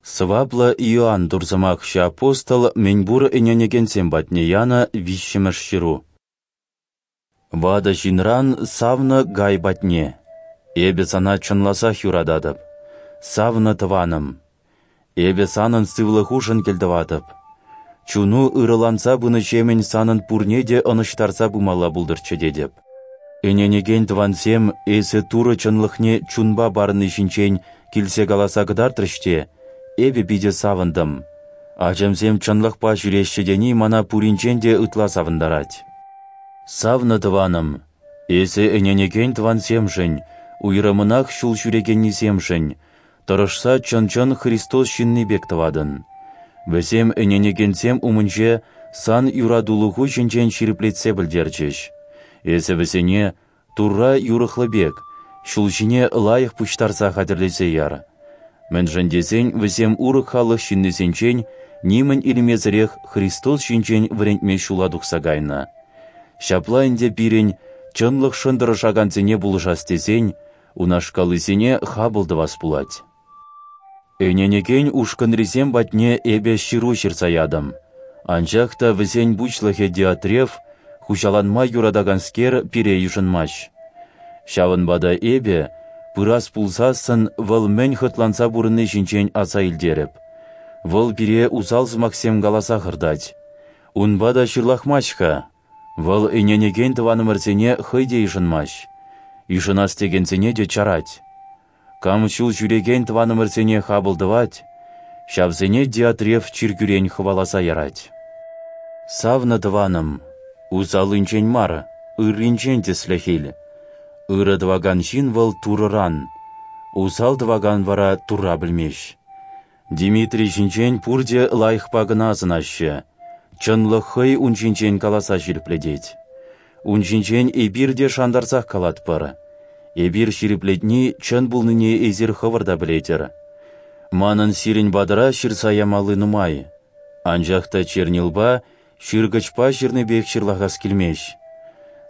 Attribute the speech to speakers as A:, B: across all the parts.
A: Сӑваплӑ Иоанн Турсӑмахҫӑ апостол мӗнпур ӗненекенсем патне янӑ виҫҫӗмӗш ҫыру. Ватӑ ҫынран савнӑ Гай патне. Эпӗ сана чӑнласах юрататӑп, савнӑ тӑванӑм. Эпӗ санӑн сывлӑхушӑн кӗлтӑватӑп. Чуну ырӑланса пынӑҫемӗн санӑн пурне те ӑнӑҫтарса пымалла пултӑрччӗ тетӗп. Ӗненекен тӑвансем эсӗ Турӑ чӑнлӑхне чунпа парӑнни ҫинчен килсе каласа кӑтартрӗҫ те, эпӗ питӗ савӑнтӑм. Ачамсем чӑнлӑхпа ҫӳреҫҫӗ тени мана пуринчен те ытла савӑнтарать. Савнӑ тӑванӑм, эсӗ ӗненекен тӑвансемшӗн, уйрӑмӑнах ҫул ҫӳрекеннисемшӗн, тӑрӑшса чӑн-чӑн Христос ҫынни пек тӑватӑн. Вӗсем ӗненекенсем умӗнче сан юратулӑху ҫинчен ҫирӗплетсе пӗлтерчӗҫ. Эсӗ вӗсене, Турра юрӑхлӑ пек, ҫул ҫине лайӑх пуҫтарса хатӗрлесе яр. Мӗншӗн тесен вӗсем урӑх халӑх ҫыннисенчен нимӗн илмесӗрех Христос ҫинчен вӗрентме ҫула тухса кайнӑ. Ҫапла ӗнтӗ пирӗн, чӑнлӑхшӑн тӑрӑшакансене пулӑшас тесен, унашкаллисене хапӑл тӑвас пулать. Ӗненекен ушкӑнрисем патне эпӗ ҫыру ҫырса ятӑм. Анчах та вӗсен пуҫлӑхӗ Диотреф, хуҫаланма юратаканскер, пире йышӑнмасть. Ҫавӑнпа та эпӗ, пырас пулсассӑн, вӑл мӗн хӑтланса пурӑнни ҫинчен аса илтерӗп. Вӑл пире усал сӑмахсем каласа хӑртать. Унпа та ҫырлахмасть-ха. Вӑл ӗненекен тӑванӑмӑрсене хӑй те йышӑнмасть. Йышӑнас текенсене те чарать. Кам ҫул ҫӳрекен тӑванӑмӑрсене хапӑл тӑвать, ҫавсене Диотреф чиркӳрен хӑваласа ярать. Савнӑ тӑванӑм, усаллинчен мар, ырринчен тӗслӗх ил. Ырӑ тӑвакан ҫын вӑл Турӑран, усал тӑвакан вара Турра пӗлмест. Дмитрий ҫинчен пурте лайӑхпа кӑна асӑнаҫҫӗ, чӑнлӑх хӑй ун ҫинчен каласа ҫирӗплетет. Ун ҫинчен эпир те шантарсах калатпӑр. Эпир ҫирӗплетни чӑн пулнине эсир хӑвӑр та пӗлетӗр. Манӑн сирӗн патӑра ҫырса ямалли нумай, анчах та чернилпа, ҫыркӑчпа ҫырнипех ҫырлахас килмест.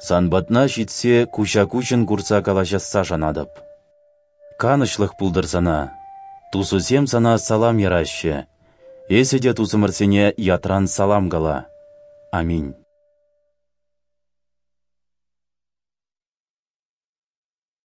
A: Сан патна ҫитсе куҫа-куҫӑн курса калаҫасса шанатӑп. Канӑҫлӑх пултӑр сана. Тусусем сана салам яраҫҫӗ. Эсӗ те тусӑмӑрсене ятран салам кала. Аминь.